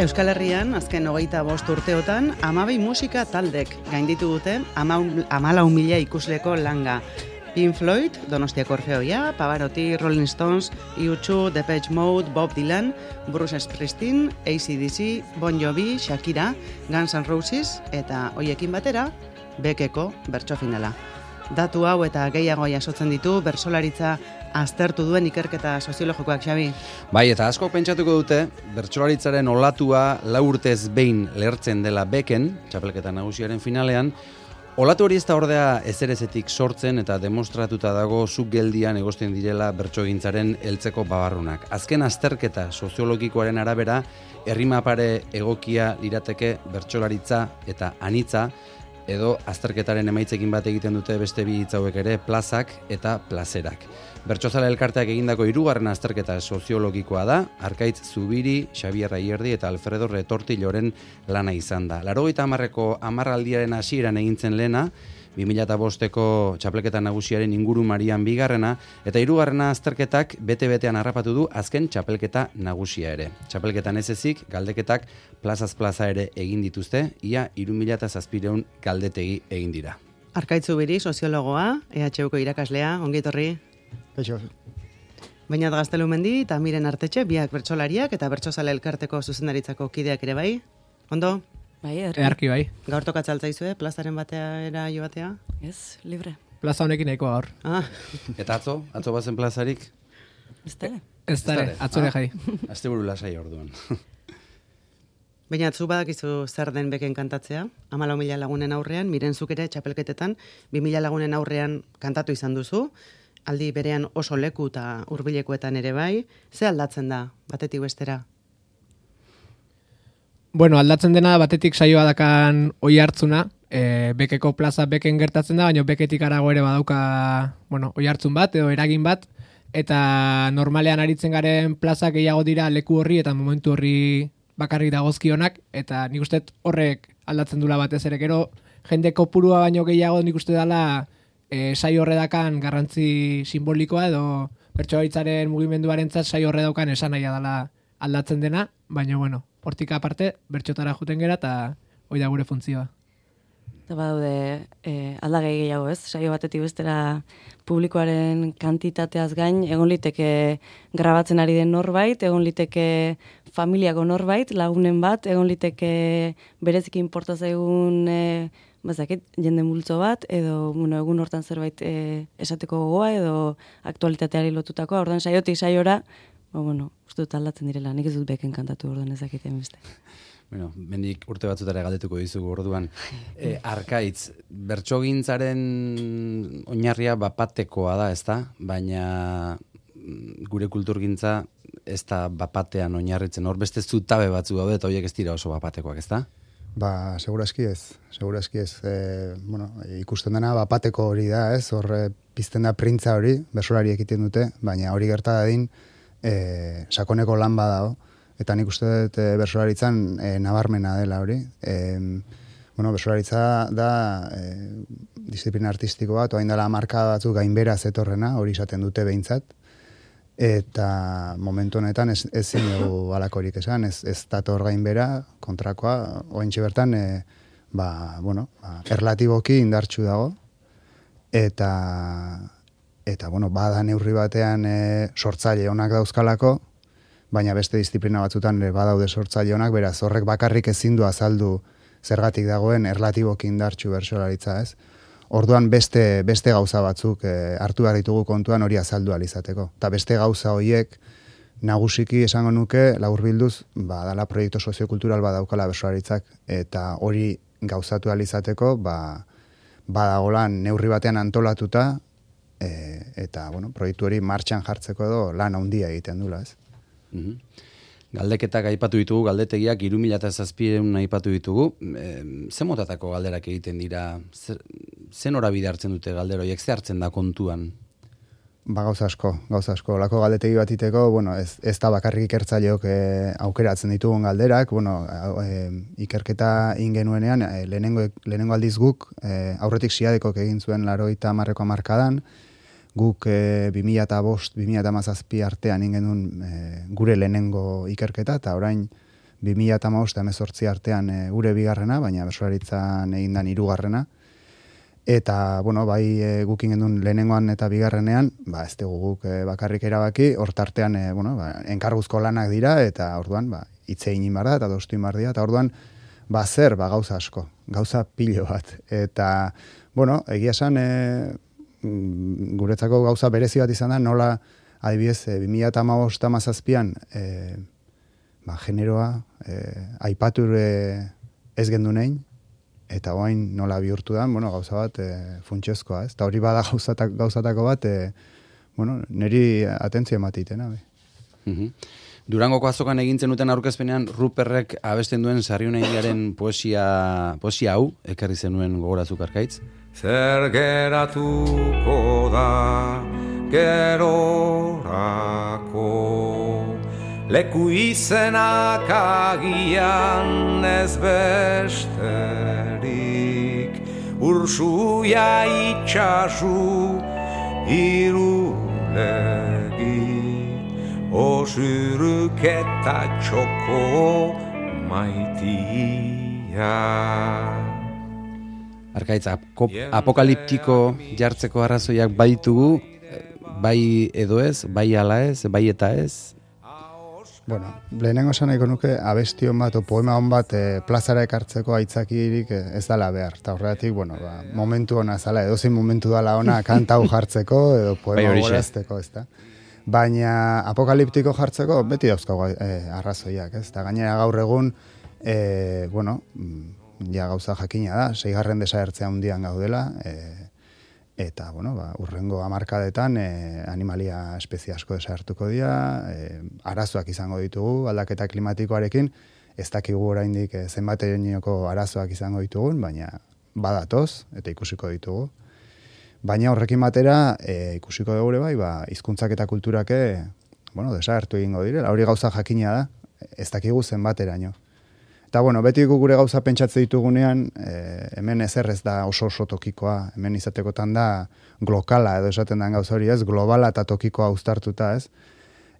Euskal Herrian, azken 25 urteotan, 12 musika taldek gainditu dute 14.000 ikusleko langa. Pink Floyd, Donostiako Orfeoia, Pavarotti, Rolling Stones, U2, Depeche Mode, Bob Dylan, Bruce Springsteen, AC/DC, Bon Jovi, Shakira, Guns N' Roses eta hoiekin batera, Bekeko bertso finala. Datu hau eta gehiago jasotzen ditu bertsolaritza aztertu duen ikerketa soziologikoak, Xabi. Bai, eta asko pentsatuko dute, bertsolaritzaren olatua 4 urtez behin lehertzen dela Beken, txapelketa nagusiaren finalean, olatu hori ez da ordea ezerezetik sortzen eta demostratuta dago zuk geldian egosten direla bertsogintzaren heltzeko babarrunak. Azken azterketa soziologikoaren arabera, errimapare egokia lirateke bertsolaritza eta anitza, edo azterketaren emaitzekin bat egiten dute beste bi hitz hauek ere, plazak eta plazerak. Bertsozale elkarteak egindako 3. azterketa soziologikoa da, Arkaitz Zubiri, Xabier Aierdi eta Alfredo Retortilloren lana izan da. 80ko hamarraldiaren hasieran egintzen lehena, 2005ko txapelketa nagusiaren inguru marian bigarrena, eta 3. azterketak bete-betean harrapatu du azken txapelketa nagusia ere. Txapelketan ez ezik, galdeketak plazaz plaza ere egin dituzte, ia 3700 galdetegi egin dira. Arkaitz Zubiri, soziologoa, EHUko irakaslea, ongi etorri. Kaixo. Bainat Gaztelumendi eta Miren Artetxe, biak bertsolariak eta bertsozale elkarteko zuzendaritzako kideak ere bai. Ondo? Bai, Earki bai. Gaur tokatzaltzaizue, plazaren bateara jo batea? Ez, libre. Plaza honekin nahikoa gaur. Ah, Eta atzo bazen plazarik? Ez dara. Ez dara, atzore jai. Asteburu lasai orduan. baina zu badakizu zer den Beken kantatzea, 14.000 lagunen aurrean, Miren zuk ere txapelketetan 2.000 lagunen aurrean kantatu izan duzu, aldi berean oso leku eta hurbilekoetan ere bai, ze aldatzen da, batetik bestera? Bueno, aldatzen dena batetik saioa dakan oi hartzuna, Bekeko plaza Beken gertatzen da, baina Beketik arago ere badauka, bueno, oi hartzun bat edo eragin bat, eta normalean aritzen garen plaza gehiago dira leku horri eta momentu horri bakarrik dagozkionak, eta nik uste horrek aldatzen dula batez ere, gero jende kopurua baino gehiago nik uste dela saio horredakan garrantzi simbolikoa edo bertsolaritzaren mugimenduarentzat saio horredakan esan nahia dela aldatzen dena, baina bueno, hortik aparte bertxotara juten gera eta hoi da gure funtzioa. Eta badaude aldagai gehiago ez, saio batetik bestera publikoaren kantitateaz gain, egon liteke grabatzen ari den norbait, egon liteke familiako norbait, lagunen bat, egon liteke bereziki inporta zaigun bazakit, jende multzo bat, edo egun hortan zerbait esateko gogoa, edo aktualitateari lotutakoa, orduan saiotik saiora, uste dut aldatzen direla, nik ez dut Beken kantatu orduan ezakiten beste. Bueno, mendik urte batzutara galdetuko dizugu orduan. Arkaitz, bertsogintzaren oinarria bapatekoa da, ezta? Baina gure kulturgintza ez da bapatean oinarritzen. Hor beste zutabe batzu daude eta horiek ez dira oso bapatekoak, ezta? Ba, segurazki ez. Ikusten dena bapateko hori da, ez? Hor pizten da printza hori, bersolari ekiten dute, baina hori gerta dadin sakoneko lan badao, eta nik uste dut bersolaritzan nabarmena dela hori. Bersolaritza da disiplina artistiko bat, oain dela marka batzuk gainbera zetorrena, hori izaten dute behintzat, eta momentu honetan ezin dugu alakorik esan, ez dator gainbera, kontrakoa, ointxe bertan, erlatiboki indartsu dago, eta bada neurri batean sortzaile onak dauzkalako, baina beste disiplina batzutan badaude sortzaile onak, beraz horrek bakarrik ezin du azaldu zergatik dagoen erlatiboki indartsu bertsolaritza, ez? Orduan beste gauza batzuk hartu behar ditugu kontuan hori azaldu alizateko. Eta beste gauza horiek nagusiki esango nuke laburbilduz, dala proiektu soziokultural badaukala bertsolaritzak, eta hori gauzatu alizateko, badagolan neurri batean antolatuta, eta proiektu hori martxan jartzeko edo lan handia egiten dula, ez? Galdeketak aipatu ditugu, galdetegiak 3700 aipatu ditugu. Ze motatako galderak egiten dira? Ze norabide hartzen dute galdero, ze hartzen da kontuan? Gauza asko. Lako galdetegi bat iteko, ez da bakarrik ikertzaileok aukeratzen ditugun galderak, ikerketa ingenuenean, lehenengo aldiz guk, aurretik siadekok egin zuen 80ko hamarkadan, guk 2005-2017 artean ingen duen gure lehenengo ikerketa, eta orain 2015-2018 artean gure bigarrena, baina bertsolaritzan egindan 3. Eta, bueno, bai gukin gendun lehenengoan eta bigarrenean, ez dugu guk bakarrik erabaki, hortartean, enkarguzko lanak dira, eta orduan, hitze egin bar da, eta dostu egin bar dira, eta orduan, zer, gauza asko, gauza pilo bat. Eta, bueno, egia esan, guretzako gauza berezi bat izan da, nola, adibidez, 2015-2017an, generoa, aipatur ez gendu nein, eta oain nola bihurtu da, gauza bat funtsezkoa, ez? Eta hori bada gauzatako bat, niri atentzio ematitena. Durangoko azokan egintzen duten aurkezpenean, Ruperrek abesten duen Sarriunaindiaren poesia hau, ekarri zenuen gogorazuk Arkaitz. Zer geratuko da gerorako, leku izenak agian ez besterik, ursuia itxasu irulegi, osuruk eta txoko maitia. Arkaitz, apokaliptiko jartzeko arrazoiak baitugu, bai edo ez, bai ala ez, bai eta ez? Bueno, lehenengo esan nahiko nuke abestion bat o poema hon bat plazara ekartzeko aitzakirik ez dala behar. Eta horregatik, momentu hona zala, edozein momentu dala ona kantau jartzeko edo poema gorazteko, ez da. Baina apokaliptiko jartzeko beti dauzkago arrazoiak, ez da. Gainera gaur egun, ja gauza jakina da, 6. desagertzea hundian gaudela, eta, urrengo hamarkadetan animalia espezie asko desagertuko dira, arazoak izango ditugu, aldaketa klimatikoarekin, ez dakigu oraindik zenbaterainoko arazoak izango ditugun, baina badatoz, eta ikusiko ditugu. Baina horrekin batera, ikusiko dugu bai, hizkuntzak eta kulturake, desagertu egingo direla, hori gauza jakina da, ez dakigu zenbateraino. Eta, beti gure gauza pentsatze ditugunean, hemen ezer ez da oso tokikoa, hemen izatekotan da glokala, edo esaten den gauza hori ez, globala eta tokikoa uztartuta ez.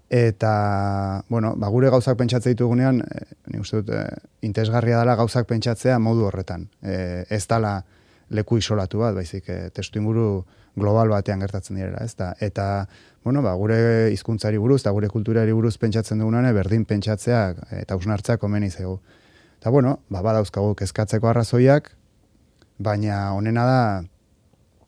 Eta, gure gauzak pentsatze ditugunean, nik uste dut, interesgarria dela gauzak pentsatzea modu horretan. Ez dela leku isolatu bat, baizik, testu inguru global batean gertatzen direla, ez da. Eta, gure hizkuntzari buruz eta gure kulturari buruz pentsatzen dugunean, berdin pentsatzea eta hausnartzea komeni zaigu. Eta, badauzkagu kezkatzeko arrazoiak, baina honena da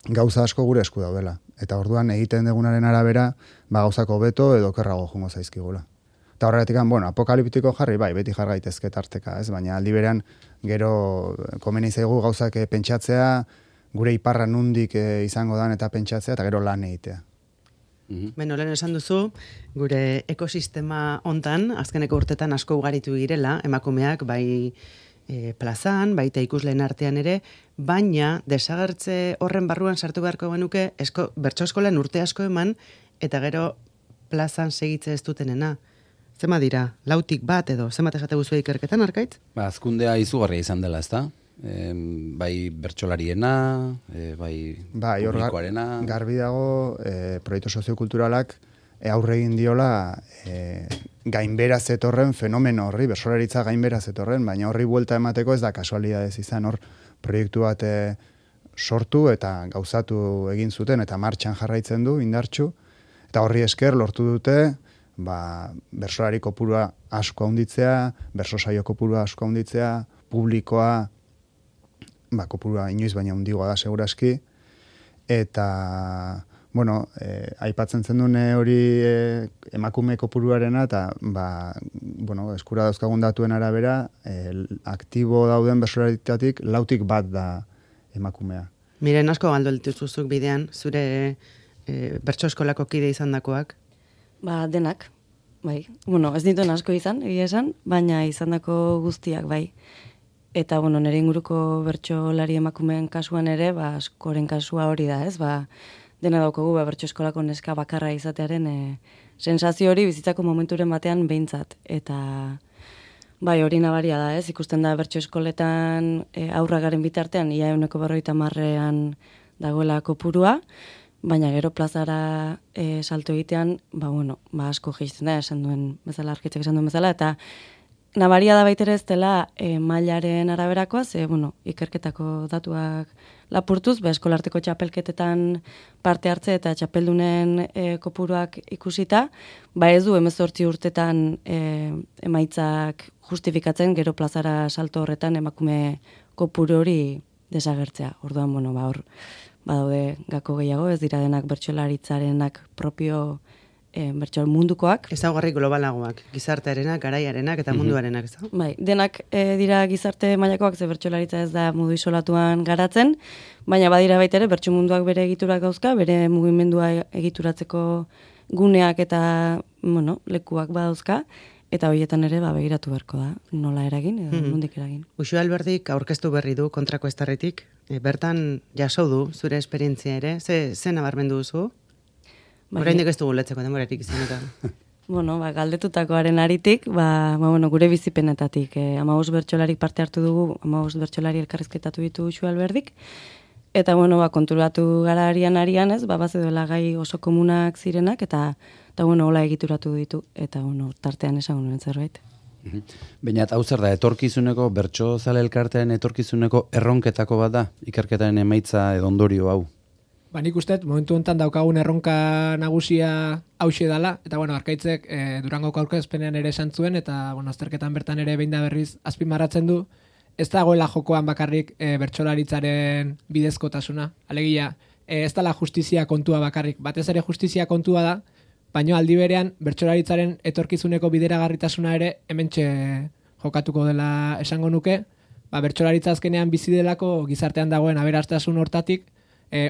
gauza asko gure esku daudela. Eta orduan egiten dugunaren arabera, gauzako beto edo kerrago jungo zaizkigula. Eta horretik, apokaliptiko jarri, beti jargaitezke tarteka, ez? Baina aldi berean, gero komeni zaigu gauzak pentsatzea, gure iparra nundik izango dan eta pentsatzea, eta gero lan egitea. Beno, lehen esan duzu, gure ekosistema hontan, azkeneko urtetan asko ugaritu girela, emakumeak bai plazan, baita ikusleen artean ere, baina desagertze horren barruan sartu beharko genuke, bertso eskolan urte asko eman, eta gero plazan segitze ez dutenena. Zema dira, 1 edo, zemat esate guzua ikerketan, Arkaitz? Azkundea izugarria izan dela, ez da? Bai bertsolariena, bai publikoarena. Garbi dago, proiektu soziokulturalak aurre egin diola gainbera zetorren fenomeno horri, bertsolaritza gainbera zetorren, baina horri buelta emateko ez da kasualidadez izan, hor proiektu bat sortu eta gauzatu egin zuten eta martxan jarraitzen du indartsu, eta horri esker lortu dute bertsolari kopurua asko handitzea, bertso saio kopurua asko handitzea, publikoa kopurua inoiz baina handigoa da segurazki, eta aipatzen zen dune hori emakume kopuruarena, eta eskura dauzkagun datuen arabera, aktibo dauden bertsolaritatik 1 da emakumea. Miren asko galdu dituzuzuk bidean, zure bertso eskolako kide izan dakoak? Denak, bai. Ez dituen asko izan, egia esan, baina izandako guztiak, bai. Eta, nire inguruko bertsolari emakumeen kasuan ere, askoren kasua hori da, ez? Dena daukagu, bertso eskolako neska bakarra izatearen sensazio hori bizitzako momenturen batean behintzat. Eta, hori nabaria da, ez? Ikusten da bertso eskoletan aurra garen bitartean, ia 150an dagoela kopurua, baina gero plazara salto egitean, asko gehitzen da, esan duen bezala, Arkitzek esan duen bezala, eta nabaria da baitere ez dela mailaren araberakoa, ze, ikerketako datuak lapurtuz, eskolarteko txapelketetan parte hartze eta txapeldunen kopuruak ikusita, ez du 18 urtetan emaitzak justifikatzen, gero plazara salto horretan emakume kopuru hori desagertzea. Orduan, hor badaude gako gehiago, ez dira denak bertsolaritzarenak propio bertsol mundukoak. Ezaugarri globalagoak, gizartearenak, garaiarenak eta munduarenak, ez da? Bai, denak dira gizarte mailakoak, ze bertsolaritza ez da modu isolatuan garatzen, baina badira baita ere bertso munduak bere egiturak dauzka, bere mugimendua egituratzeko guneak eta, lekuak badauzka, eta horietan ere begiratu beharko da, nola eragin edo nondik eragin. Uxue Alberdik aurkeztu berri du kontrako estarritik, bertan jaso du zure esperientzia ere, ze nabarmendu duzu? Oraindik ez dugu letzeko denborarik izan eta. Galdetutakoaren aritik, gure bizipenetatik. 15 bertsolarik parte hartu dugu, 15 bertsolari elkarrizketatu ditu Uxue Alberdik, eta konturatu gara arian ez, bazeudela gai oso komunak zirenak, eta hola egituratu ditu, eta tartean esan nuen zerbait. Baina, hau zer da, etorkizuneko, bertsozale elkartean etorkizuneko erronketako bat da, ikerketaren emaitza edo ondorio hau? Nik uste, momentu honetan daukagun erronka nagusia hauxe dala, eta Arkaitzek Durangoko aurkezpenean ere esan zuen, eta azterketan bertan ere behin da berriz azpimarratzen du, ez dagoela jokoan bakarrik bertsolaritzaren bidezkotasuna. Alegia, ez dela justizia kontua bakarrik, batez ere justizia kontua da, baina aldi berean bertsolaritzaren etorkizuneko bideragarritasuna ere hementxe jokatuko dela esango nuke, bertsolaritza azkenean bizi delako gizartean dagoen aberastasun hortatik,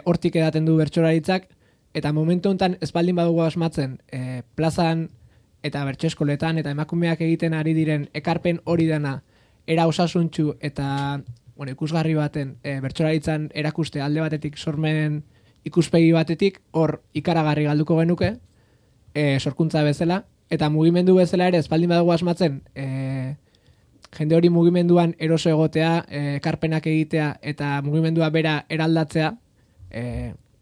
hortik edaten du bertsolaritzak, eta momentu honetan ez baldin badugu asmatzen plazan eta bertso eskoletan eta emakumeak egiten ari diren ekarpen hori dena era osasuntsu eta ikusgarri baten bertsolaritzan erakuste alde batetik sormen ikuspegi batetik, hor ikaragarri galduko genuke, sorkuntza bezala, eta mugimendu bezala ere ez baldin badugu asmatzen jende hori mugimenduan eroso egotea, ekarpenak egitea eta mugimendua bera eraldatzea,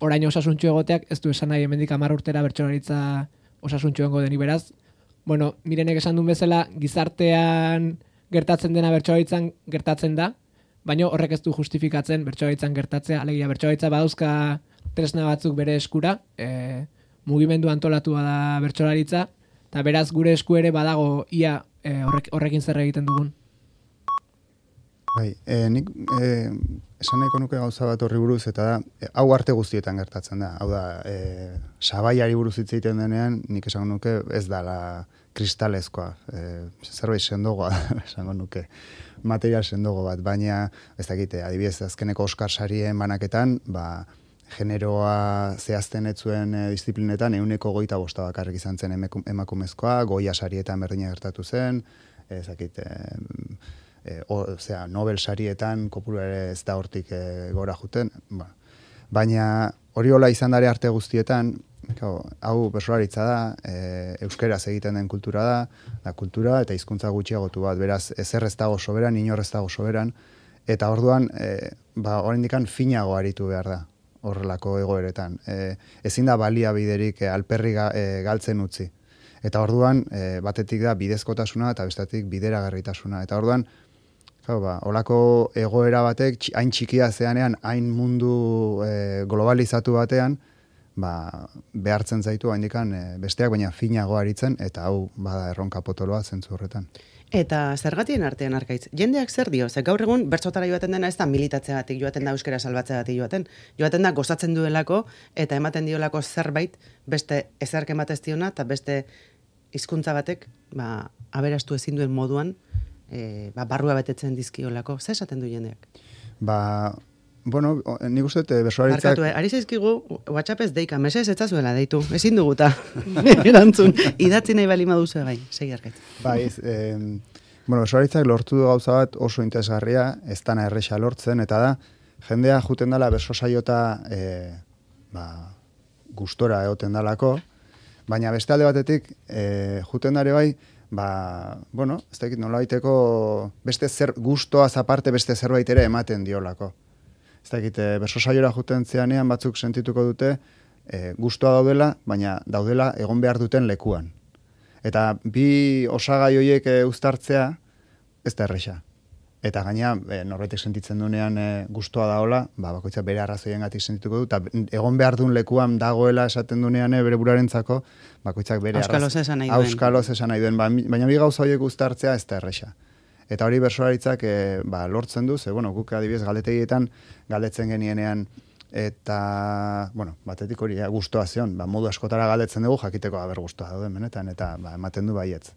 orain osasuntxu egoteak ez du esan nahi hemendik 10 urtera bertsolaritza osasuntxu egongo deni beraz. Mirenek esan duen bezala, gizartean gertatzen dena bertsolaritzan gertatzen da, baina horrek ez du justifikatzen bertsolaritzan gertatzea, alegia bertsolaritza badauzka tresna batzuk bere eskura, mugimendu antolatua da bertsolaritza, eta beraz gure esku ere badago ia horrekin zer egiten dugun. Bai, nik esan nahiko nuke gauza bat horri buruz, eta da, hau arte guztietan gertatzen da. Hau da, sabaiari buruz hitz egiten denean, nik esango nuke ez dala kristalezkoa, zerbait sendogoa, esango nuke, material sendogo bat, baina, ez dakite, adibidez, azkeneko Oscar sarien banaketan, generoa zehazten etzuen disiplinetan 125 bakarrik izan zen emakumezkoa, Goya sarietan berdina gertatu zen, ez dakite, Nobel sarietan kopuru ere ez da hortik gora juten, baina hori hola izan dare arte guztietan, hau bertsolaritza da, euskeraz egiten den kultura da kultura eta hizkuntza gutxiagotu bat, beraz ezer ez dago soberan, inor ez dago soberan, eta orduan oraindikan finago aritu behar da horrelako egoeretan. Ezin da baliabiderik alperri galtzen utzi. Eta orduan batetik da bidezkotasuna eta bestetik bideragarritasuna. Eta orduan olako egoera batek hain txikia zeanean, hain mundu globalizatu batean, behartzen zaitu haindikan besteak baina finago aritzen, eta hau bada erronka potoloa zentzu horretan. Eta zergatien artean Arkaitz, jendeak zer dio? Ze gaur egun bertsotara joaten dena ez da militatzeagatik joaten da, euskara salbatzeagatik joaten da gozatzen duelako eta ematen diolako zerbait beste ezerk ematez diona eta beste hizkuntza batek aberastu ezin duen moduan barrua betetzen dizkiolako. Zer esaten du jendeak? Nik uste bertsolaritzak... Barkatu, ari zaizkigu WhatsApp ez deika, mesez etzazuela deitu, ezin duguta erantzun, idatzi nahi bali maduzu bai, segi Arkaitz. Bertsolaritzak lortu du gauza bat oso interesgarria, ez dana erresa lortzen, eta da, jendea juten dela berso saiota gustora egoten dalako, baina beste alde batetik juten dare bai, ez dakit nolabaiteko beste gustoaz aparte beste zerbait ere ematen diolako. Ez dakit, berso saiora juten zeanean batzuk sentituko dute gustoa daudela, baina daudela egon behar duten lekuan. Eta bi osagai horiek uztartzea, ez da erresa. Eta gaina, norbaitek sentitzen duenean gustoa daola, bakoitzak bere arrazoiengatik sentituko du, eta egon behar duen lekuan dagoela esaten duenean bere burarentzako, bakoitzak bere Auskaloz esan nahi duen. Auskaloz esan nahi duen, baina bi gauza horiek uztartzea ez da erresa. Eta hori bertsolaritzak lortzen du, guk adibidez galdetegietan galdetzen genienean, eta, batetik hori gustoa zion, modu askotara galdetzen dugu, jakiteko gustoa dauden benetan, eta ematen du baietz.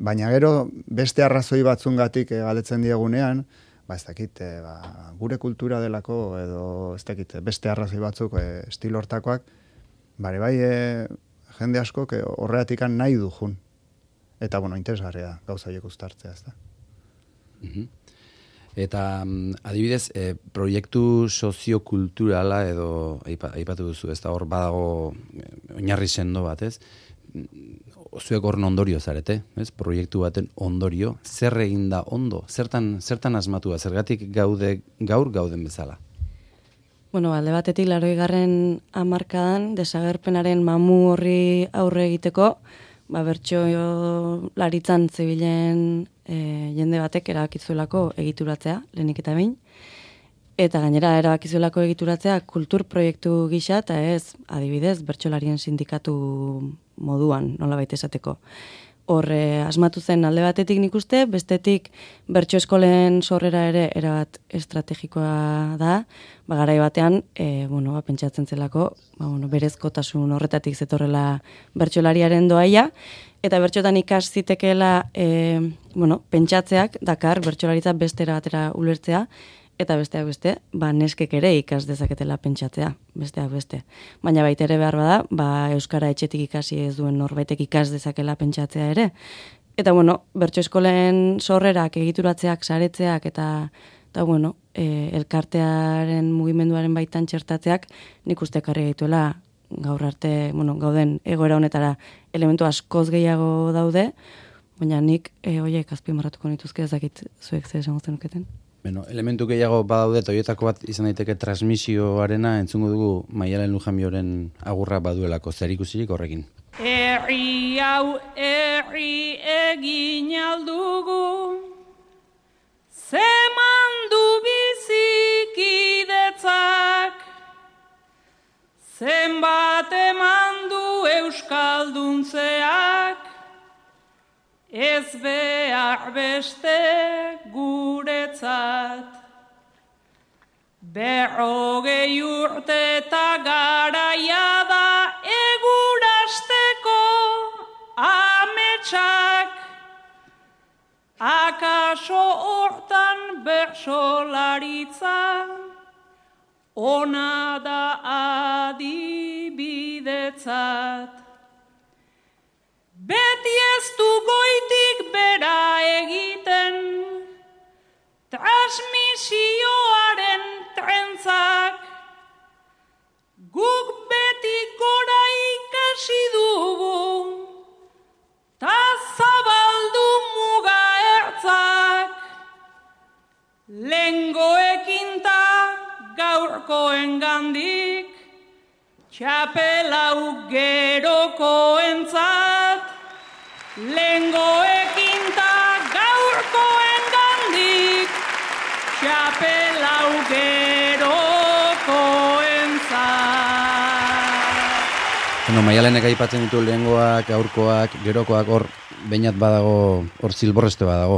Baina gero, beste arrazoi batzungatik galdetzen diegunean, ez dakit, gure kultura delako, edo ez dakit, beste arrazoi batzuk estilo hortakoak, bai, jende askok horreatik nahi du jun. Eta, interesgarria gauza horiek uztartzea, ez da. Eta, adibidez, proiektu soziokulturala edo aipatu duzu, ez da hor badago oinarri sendo bat, ez? Zuek horren ondorio zarete, ez? Proiektu baten ondorio, zer egin da ondo? Zertan asmatua, zergatik gaur gauden bezala? Alde batetik 80. hamarkadan desagerpenaren mamu horri aurre egiteko, bertsolaritzan zebilen jende batek erabakizuelako egituratzea, lehenik eta behin. Eta gainera erabakizuelako egituratzea kultur proiektu gisa, eta ez, adibidez, bertsolarien sindikatu moduan, nolabait esateko. Horre, asmatu zen alde batetik nik uste, bestetik bertso eskolen sorrera ere erabat estrategikoa da, garai batean, pentsatzen zelako, berezkotasun horretatik zetorrela bertsolariaren doaia, eta bertxotan ikas zitekeela, pentsatzeak dakar bertsolaritza beste erabatera ulertzea, eta besteak beste, neskek ere ikas dezaketela pentsatzea, besteak beste. Baina baita ere behar bada, euskara etxetik ikasi ez duen norbaitek ikas dezakela pentsatzea ere. Eta bertso eskolen sorrerak, egituratzeak, saretzeak, eta elkartearen mugimenduaren baitan txertatzeak, nik uste ekarri gaituela gaur arte, gauden egoera honetara elementu askoz gehiago daude, baina nik horiek azpimarratuko nituzke ezakit zuek zer esango zenuketen. Elementu gehiago badaude, toietako bat izan daiteke transmisioarena, entzungo dugu Maialen Lujambioren agurra baduelako, zer ikusirik horrekin. Herri hau herri egin aldugu, zeman du bizikidetzak, zenbat eman du euskalduntzeak, ez behar beste guretzat. 40 urte eta garaia da egurasteko ametsak, akaso hortan bertsolaritza, ona da adibidetzat. Beti ez du goitik bera egiten, transmisioaren trentzak, guk beti gora ikasi dugu, ta zabaldu muga ertzak, lengoekin ta gaurkoen gandik, txapelau gerokoentzat, lengoekin ta gaurkoen gandik, txapelau gerokoentzat. Maialenek aipatzen ditu lehengoak, gaurkoak, gerokoak, hor bainat badago, hor zilborreste badago.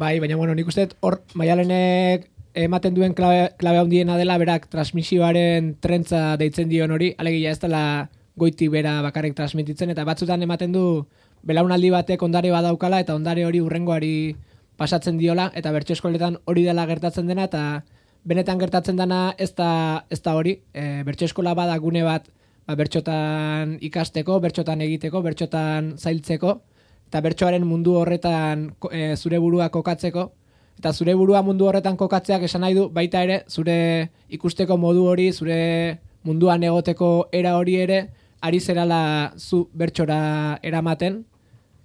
Bai, baina nik uste hor Maialenek ematen duen klabe handiena dela berak transmisioaren trentza deitzen dion hori, alegia ez dela goiti bera bakarrik transmititzen, eta batzutan ematen du belaunaldi batek ondare badaukala, eta ondare hori hurrengoari pasatzen diola, eta bertso eskoletan hori dela gertatzen dena, eta benetan gertatzen dena ez da hori, bertso eskola bada gune bat bertxotan ikasteko, bertxotan egiteko, bertxotan zailtzeko, eta bertsoaren mundu horretan zure burua kokatzeko, eta zure burua mundu horretan kokatzeak esan nahi du, baita ere, zure ikusteko modu hori, zure munduan egoteko era hori ere, ari zerala zu bertsora eramaten,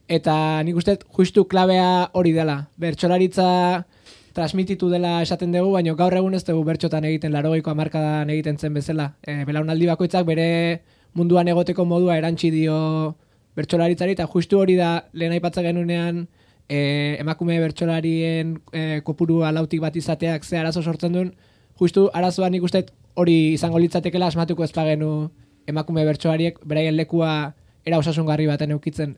eta nik uste justu klabea hori dela. Bertsolaritza transmititu dela esaten dugu, baina gaur egun ez dugu bertxotan egiten, 80ko hamarkadan egiten zen bezala. Belaunaldi bakoitzak bere munduan egoteko modua erantsi dio bertsolaritzari, eta justu hori da lehen aipatzen genunean emakume bertsolarien kopurua lautik bat izateak ze arazo sortzen duen, justu arazoa nik uste hori izango litzatekela asmatuko ez bagenu emakume bertsolariek beraien lekua era osasungarri baten eukitzen.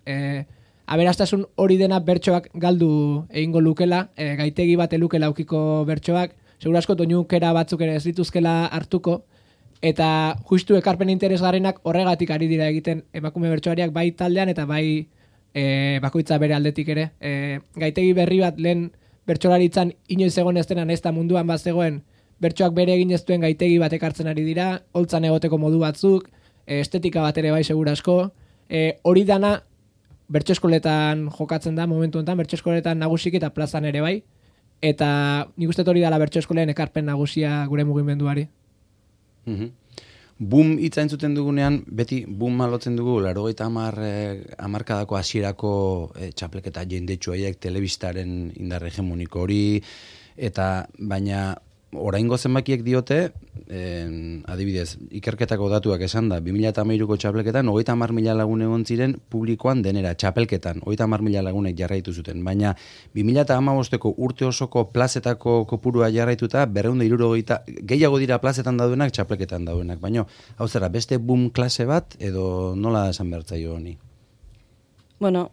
Aberastasun hori dena bertsoak galdu egingo lukela, gaitegi bat elukela aukiko bertsoak, seguru asko doinukera batzuk ere ez dituzkela hartuko, eta justu ekarpen interesgarrenak horregatik ari dira egiten emakume bertsoariak bai taldean eta bai bakoitza bere aldetik ere. Gaitegi berri bat lehen bertsolaritzan inoiz egon ez dena ez da munduan bat zegoen, bertsoak bere egin ez duen gaitegi bat ekartzen ari dira, holtzan egoteko modu batzuk, estetika bat ere bai seguru asko, hori dana bertso eskoletan jokatzen da momentu honetan, bertso eskoletan nagusik eta plazan ere bai, eta nik uste hori dela bertso eskoleen ekarpen nagusia gure mugimenduari. Boom hitza entzuten dugunean, beti boom malotzen dugu, 80 hamarkadako hasierako txapelketa jendetsu haiek, telebistaren indar hegemoniko hori, eta baina oraingo zenbakiek diote, adibidez, ikerketako datuak esan da, 2013ko txapelketan, 30.000 lagun egon ziren publikoan denera, txapelketan, 30.000 lagunek jarraitu zuten, baina 2015ko urte osoko plazetako kopurua jarraituta, 260 gehiago dira plazetan daudenak, txapelketan daudenak, baina, hau zera, beste boom klase bat, edo nola esan bertzaio honi? Bueno,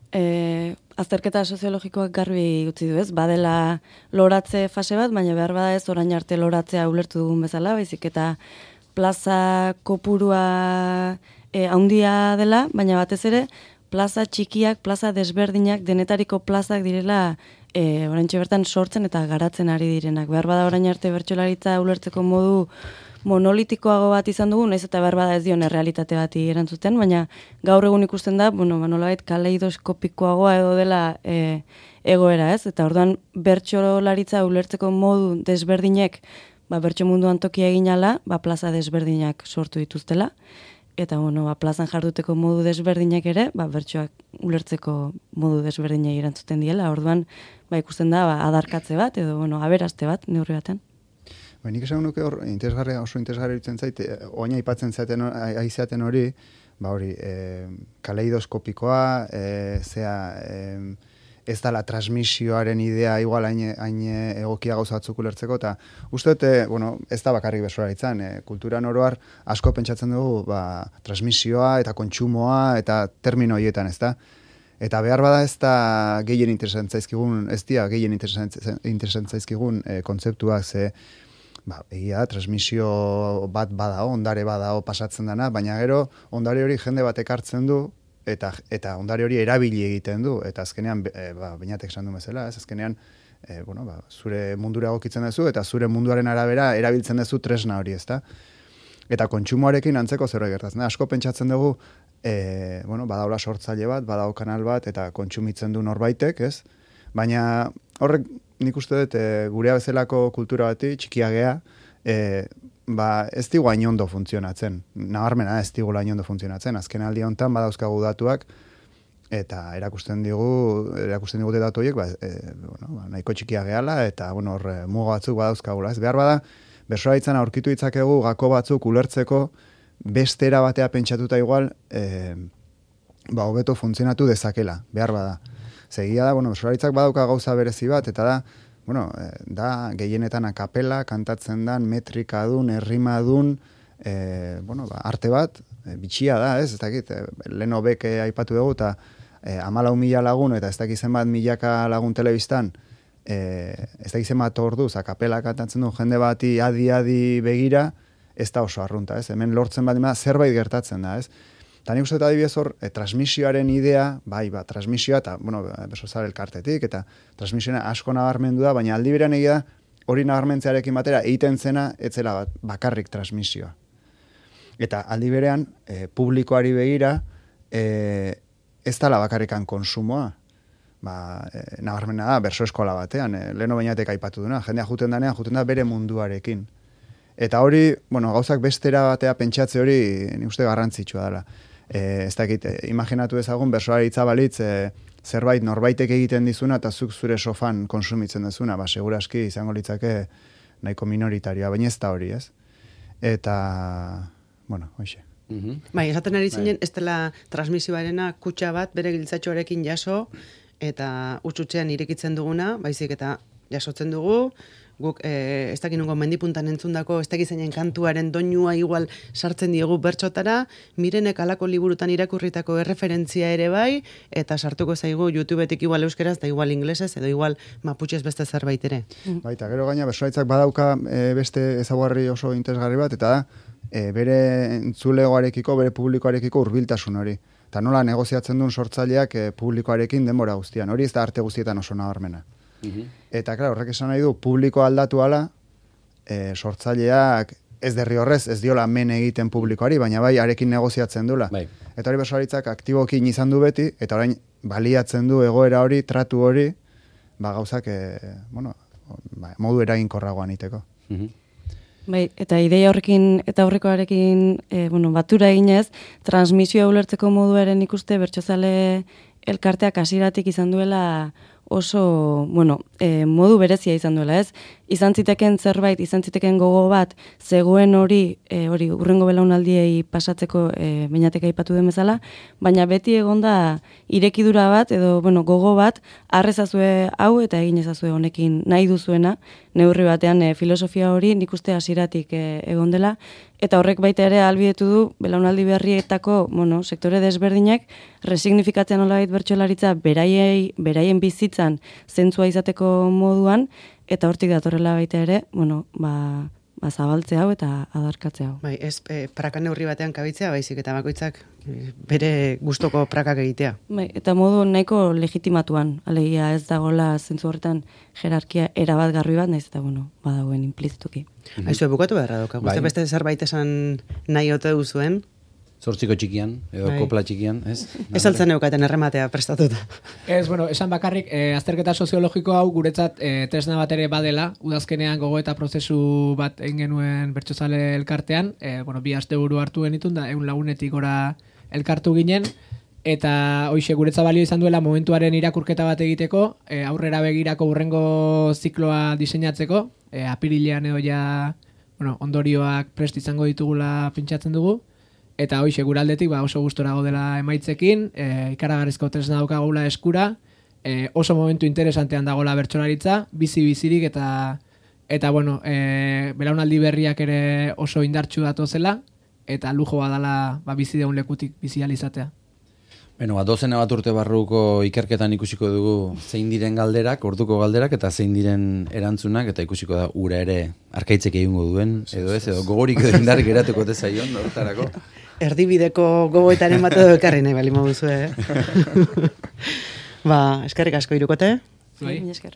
azterketa soziologikoak garbi utzi du ez, badela loratze fase bat, baina behar bada ez orain arte loratzea ulertu dugun bezala, baizik eta plaza kopurua handia dela, baina batez ere plaza txikiak, plaza desberdinak, denetariko plazak direla oraintxe bertan sortzen eta garatzen ari direnak. Behar bada orain arte bertsolaritza ulertzeko modu monolitikoago bat izan dugu, naiz eta behar bada ez dion errealitate bati erantzuten, baina gaur egun ikusten da, nolabait kaleidoskopikoagoa edo dela egoera, ez? Eta orduan bertsolaritza ulertzeko modu desberdinek, bertso munduan tokia eginala, plaza desberdinak sortu dituztela, eta plazan jarduteko modu desberdinak ere, bertsoak ulertzeko modu desberdinak erantzuten diela, orduan ikusten da adarkatze bat edo aberaste bat neurri baten. Nik esan nuke hor, oso interesgarri ditzen zait, oina aipatzen aizeaten hori, kaleidoskopikoa, ez da la transmisioaren idea igual hain egokia gauza batzuk ulertzeko, eta uste ez da bakarrik bertsolaritzan, kulturan oroar asko pentsatzen dugu, transmisioa eta kontsumoa eta termino horietan, ez da? Eta behar bada ez da gehien interesantzaizkigun, ez dia gehien interesantzaizkigun kontzeptuak, ze egia, transmisio bat badao, ondare badao pasatzen dana, baina gero ondare hori jende bat ekartzen du, eta ondare hori erabili egiten du, eta azkenean, bainatek esan du bezala, azkenean, zure mundura egokitzen duzu, eta zure munduaren arabera erabiltzen duzu tresna hori, ezta? Eta kontsumoarekin antzeko zerbait gertatzen da. Asko pentsatzen dugu, badaula sortzaile bat, badao kanal bat, eta kontsumitzen du norbaitek, ez? Baina horrek nik uste dut gurea bezalako kultura bati, txikia gea, ez digu hain ondo funtzionatzen. Nabarmena ez digu hain ondo funtzionatzen. Azken aldi honetan badauzkagu datuak, eta erakusten digute datu horiek, nahiko txikia gehala, eta hor muga batzuk badauzkagula. Ez behar bada, bertsolaritzan aurkitu ditzakegu gako batzuk ulertzeko beste era batea pentsatuta igual, hobeto funtzionatu dezakela, behar bada. Segia da, bertsolaritzak badauka gauza berezi bat, eta da gehienetan akapela, kantatzen dan, metrikadun, errimadun, arte bat, bitxia da, ez dakit, leno beke aipatu dugu, eta 14.000 lagun, eta ez dakit zenbat milaka lagun telebistan, ez dakit zenbat orduz, akapela kantatzen du jende bati adi begira, ez da oso arrunta, ez? Hemen lortzen bat zerbait gertatzen da, ez? Eta nik uste adibidez hor, transmisioaren idea, transmisioa, eta, besozar elkartetik, eta transmisioa asko nabarmendu da, baina aldi berean egia hori nabarmentzearekin batera egiten zena, etzela bakarrik transmisioa. Eta aldi berean, publikoari begira, ez dala bakarrikan konsumoa. Nabarmena da, berso eskola batean, leheno bainatek aipatu duna, jendea juten da bere munduarekin. Eta hori, gauzak bestera batea pentsatze hori, nik uste garrantzitsua dela. Ez dakit, imaginatu ezagun, bertsolaritza balitz, zerbait norbaitek egiten dizuna, eta zuk zure sofan konsumitzen dezuna, seguraski izango litzake nahiko minoritarioa, baina ez da hori, ez? Eta, hoxe. Esaten ari zinen, ez dela transmisioarena kutxa bat, bere giltzatxoarekin jaso, eta utxutxean irekitzen duguna, baizik eta jasotzen dugu, guk ez dakit nungo mendipuntan entzundako, ez dakit zeinen kantuaren doinua igual sartzen diegu bertxotara, Mirenek alako liburutan irakurritako erreferentzia ere bai, eta sartuko zaigu YouTubetik igual euskeraz, da igual inglesez, edo igual maputxez beste zerbait ere. Baita, gero gaina bersolaritzak badauka beste ezaugarri oso interesgarri bat, eta da, bere entzulegoarekiko, bere publikoarekiko hurbiltasun hori. Eta nola negoziatzen duen sortzaileak publikoarekin denbora guztian. Hori ez da arte guztietan oso nabarmena. Eta, klar, horrek esan nahi du, publiko aldatu ala, sortzaileak ez derrigorrez, ez diola men egiten publikoari, baina bai, arekin negoziatzen dula. Bai. Eta hori bersolaritzak aktibokin izan du beti, eta orain baliatzen du egoera hori, tratu hori, gauzak, modu eraginkorragoan iteko. Bai, eta ideia horrekin eta aurrekoarekin batura eginez, transmisioa ulertzeko moduaren ikuste bertsozale elkarteak hasieratik izan duela oso, modu berezia izan duela, ez? Izan ziteken zerbait, izan ziteken gogo bat, zegoen hori urrengo belaunaldiei pasatzeko beinatek aipatu den bezala, baina beti egonda irekidura bat, edo, gogo bat, arrezazue hau eta egin ezazue honekin nahi duzuena, neurri batean filosofia hori nik uste hasieratik egon dela, eta horrek baita ere ahalbidetu du belaunaldi berrietako, sektore desberdinak resignifikatzen nolabait bertsolaritza beraien bizitzan zentzua izateko moduan, eta hortik datorrela baita ere, zabaltze hau eta adarkatze hau. Bai, ez praka neurri batean kabitzea, baizik eta bakoitzak bere gustoko prakak egitea. Bai, eta modu nahiko legitimatuan, alegia ez dagoela zentzu horretan jerarkia erabat garbi bat, naiz eta badagoen implizituki. Aizu, bukatu beharra doka, guzti beste zerbait esan nahi ote duzuen? Zortziko txikian, edo kopla txikian, ez? Ez altzen eukaten errematea prestatuta. Ez, esan bakarrik, azterketa soziologiko hau guretzat tresna bat ere badela, udazkenean gogo eta prozesu bat egin genuen bertsozale elkartean, bi asteburu hartu genitun, da 100 lagunetik gora elkartu ginen, eta hoxe guretzat balio izan duela momentuaren irakurketa bat egiteko, aurrera begirako hurrengo zikloa diseinatzeko, apirilean edo ja, ondorioak prest izango ditugula pentsatzen dugu, eta hoxe guraldetik oso gustora gaudela emaitzekin, ikaragarrizko tresna daukagula eskura, oso momentu interesantean dagoela bertsolaritza, bizirik eta belaunaldi berriak ere oso indartsu datozela, eta lujo badala bizi deun lekutik bizi alizatea. Dozena bat urte barruko ikerketan ikusiko dugu zein diren galderak, orduko galderak, eta zein diren erantzunak, eta ikusiko da ura ere arkaitzek egingo duen, edo ez, edo gogorik edo indar geratuko tezaion, horretarako. Erdibideko gogoetaren bat edo ekarri nahi bali moduzu, Eskerrik asko Hirukote. Bai, esker.